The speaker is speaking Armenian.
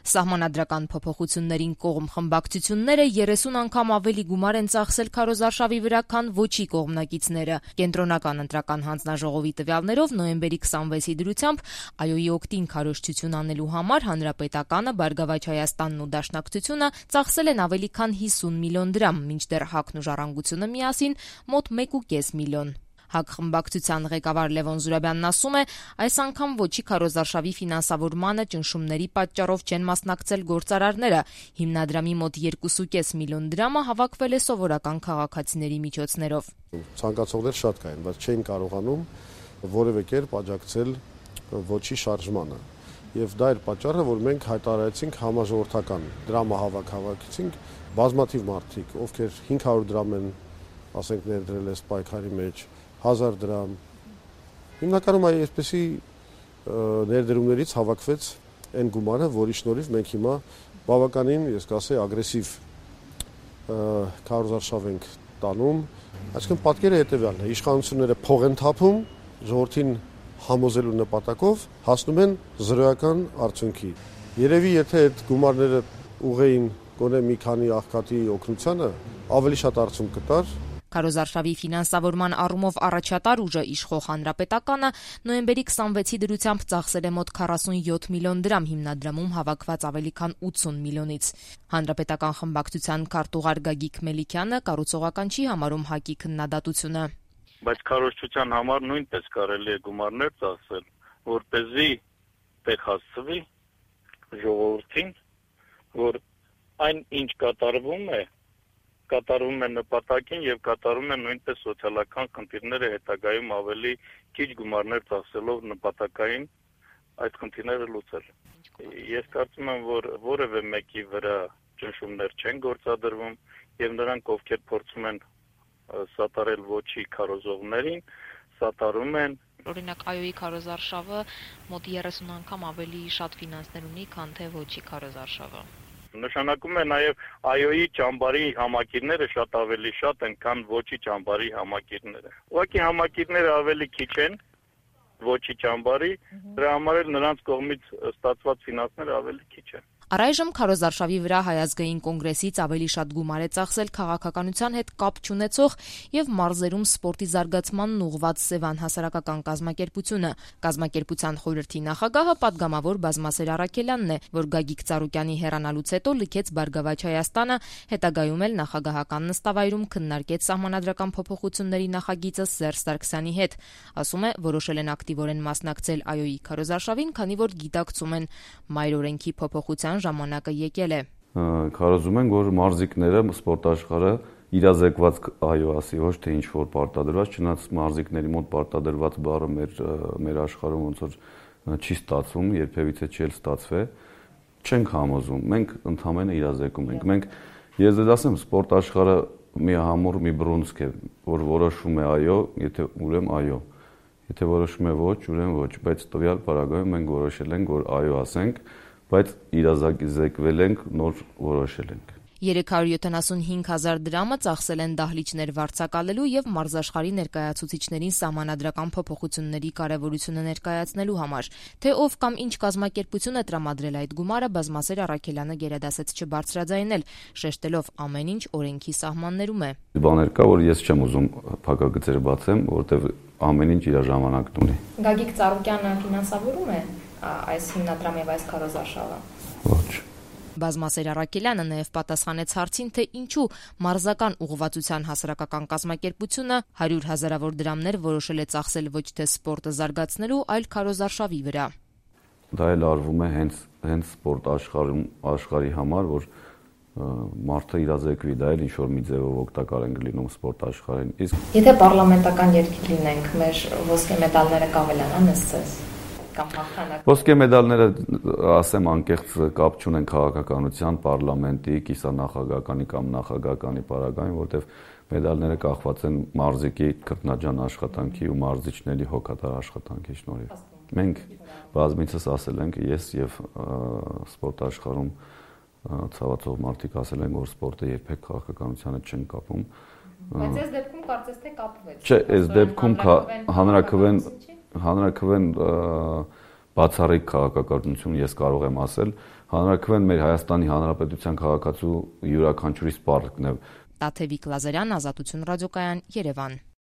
Սահմանադրական փոփոխություններին կողմ խմբակցությունները 30 անգամ ավելի գումար են ծախսել քարոզարշավի վրա, քան ոչի կողմնակիցները։ Կենտրոնական ընտրական հանձնաժողովի տվյալներով նոյեմբերի 26-ի դրությամբ ԱՅՈ-ի օգտին քարոզչություն անելու համար Հանրապետականը, Բարգավաճ Հայաստանն ու Դաշնակցությունը ծախսել են ավելի քան 50 միլիոն դրամ, մինչդեռ ՀԱԿ-ն ու Ժառանգությունը միասին մոտ 1,5 միլիոն։ ՀԱԿ խմբակցության ղեկավար Լևոն Զուրաբյանն ասում է, այս անգամ ոչի քարոզարշավի ֆինանսավորմանը ճնշումների պատճառով չեն մասնակցել գործարարները։ Հիմնադրամի մոտ 2,5 միլիոն դրամը հավաքվել է սովորական քաղաքացիների միջոցներով։ Ցանկացողներ շատ կային, բայց չէին կարողանում որևէ կերպ աջակցել ոչի շարժմանը։ Եվ դա էր պատճառը, որ մենք հայտարարեցինք համաժողովրդական դրամահավաք հավաքեցինք բազմաթիվ մարդիկ, ովքեր 500 դրամ են, ասենք, ներդրել այս պայքարի մեջ, 1000 դրամ։ Հիմնականում այսպեսի ներդրումներից հավաքվեց այն գումարը, որի շնորհիվ մենք հիմա բավականին, ես կասեի, ագրեսիվ քարոզարշավ ենք տանում։ Այսինքն պատկերը հետևյալն է. իշխանությունները փող են թափում, ժողովրդին համոզելու նպատակով հասնում են զրոյական արդյունքի։ Երևի եթե այդ գումարները ուղեին գոնե մի քանի աղքատի օգնությանը, ավելի շատ արդյունք կտար։ Քարոզարշավի ֆինանսավորման առումով առաջատար ուժը իշխող Հանրապետականը նոյեմբերի 26-ի դրությամբ ծախսել է մոտ 47 միլիոն դրամ հիմնադրամում հավաքված ավելի քան 80 միլիոնից։ Հանրապետական խմբակցության քարտուղար Գագիկ Մելիքյանը կառուցողական չի համարում ՀԱԿ-ի քննադատությունը։ Բայց քարոզչության համար նույնպես կարելի է գումարներ ծախսել, որպեսզի տեղ հասցվի ժողովրդին, որ այն ինչ կատարվում է նպատակին եւ կատարում է նույնպես սոցիալական խնդիրները հետագայում ավելի քիչ գումարներ ծախսելով նպատակային այդ խնդիրները լուծել։ Ես կարծում եմ, որ որևէ մեկի վրա ճնշումներ չեն գործադրվում եւ նրանք, ովքեր փորձում են սատարել ոչի քարոզողներին, սատարում են։ Օրինակ ԱՅՈ-ի քարոզարշավը մոտ 30 անգամ ավելի շատ ֆինանսներ ունի, քան թե ոչի քարոզարշավը։ Նշանակում է նաև ԱՅՈ-ի ճամբարի համակիրները շատ ավելի շատ են, քան ոչի ճամբարի համակիրները։ Ուղղակի համակիրները ավելի քիչ են ոչի ճամբարի, դրա համար էլ նրանց կողմից ստացված ֆինանսները ավելի քիչ են։ Առայժմ քարոզարշավի վրա Հայ ազգային կոնգրեսից ավելի շատ գումար է ծախսել քաղաքականության հետ կապ չունեցող եւ մարզերում սպորտի զարգացմանն ուղղված Սևան հասարակական կազմակերպությունը։ Կազմակերպության խորհրդի նախագահը պատգամավոր Բազմասեր Առաքելյանն է, որ Գագիկ Ծառուկյանի հեռանալուց հետո լքեց Բարգավաճ Հայաստանը, հետագայում էլ նախագահական նստավայրում քննարկեց սահմանադրական փոփոխությունների նախագիծը Սերժ Սարգսյանի հետ։ Ասում է, որոշել են ակտիվորեն մասնակցել ԱՅՈ-ի քարոզարշավին, քանի որ գիտակցում են մայր օրենքի փոփոխության ժամանակը եկել է։ Կարծում ենք, որ մարզիկները սպորտ աշխարհը իրազեկված ԱՅՈ ասի, ոչ թե ինչ որ պարտադրված, չնայած մարզիկների մոտ պարտադրված բառը մեր աշխարհում ոնց որ չի ստացվում, երբևիցե չի ստացվի, չենք համոզում։ Մենք ընդհանրապես իրազեկում ենք։ Մենք ես դες ասեմ, սպորտ աշխարհը մի համուր, մի բռունցք է, որ որոշում է ԱՅՈ, եթե ուրեմն ԱՅՈ, եթե որոշում է ոչ, ուրեմն ոչ, բայց տվյալ պարագայում մենք որոշել ենք, որ ԱՅՈ ասենք, բայց իրազեկվել ենք, նոր որոշել ենք։ 375,000 դրամը ծախսել են դահլիճներ վարձակալելու եւ մարզաշխարհի ներկայացուցիչներին սահմանադրական փոփոխությունների կարեւորությունը ներկայացնելու համար։ Թե ով կամ ինչ կազմակերպություն է տրամադրել այդ գումարը, Բազմասեր Առաքելյանը գերադասեց չբարձրաձայնել, շեշտելով ամեն ինչ օրենքի սահմաններում է։ Բաներ կա, որ ես չեմ ուզում փակագծեր բացեմ, որովհետեւ ամեն ինչ իր ժամանակն ունի։ Գագիկ Ծառուկյանը ֆինանսավորում է այս հիմնադրամի եւ այս քարոզարշավը։ Ոչ։ Բազմասեր Առաքելյանը նաև պատասխանեց հարցին, թե ինչու մարզական ուղղվածության հասարակական կազմակերպությունը 100 հազարավոր դրամներ որոշել է ծախսել ոչ թե սպորտը զարգացնելու, այլ քարոզարշավի վրա։ Դա էլ արվում է հենց սպորտ աշխարհի համար, որ մարդը իրազեկվի, դա էլ ինչ որ մի ձևով օգտակար են լինում սպորտ աշխարհին։ Իսկ եթե պարլամենտական երկիր լինենք, մեր ոսկե մեդալները կավելանան ըստ Ոսկե մեդալները, ասեմ, անկեղծ կապ չունեն քաղաքականության, պարլամենտի, կիսանախագահականի կամ նախագահականի պարագային, որտեղ մեդալները կախված են մարզիկի քրտնաջան աշխատանքի ու մարզիչների հոգատար աշխատանքի շնորհիվ։ Մենք բազմիցս ասել ենք, ես եւ սպորտ աշխարհում ցավացող մարդիկ ասել են, որ սպորտը երբեք քաղաքականությանը չեն կապում։ Բայց այս դեպքում կարծես թե կապվեց։ Չէ, այս դեպքում հանրաքվեն բացառիկ քաղաքականություն ես կարող եմ ասել, հանրաքվեն մեր Հայաստանի Հանրապետության քաղաքացու յուրաքանչյուրի սպառկն է։ Տաթևիկ Լազարյան, Ազատություն ռադիոկայան, Երևան։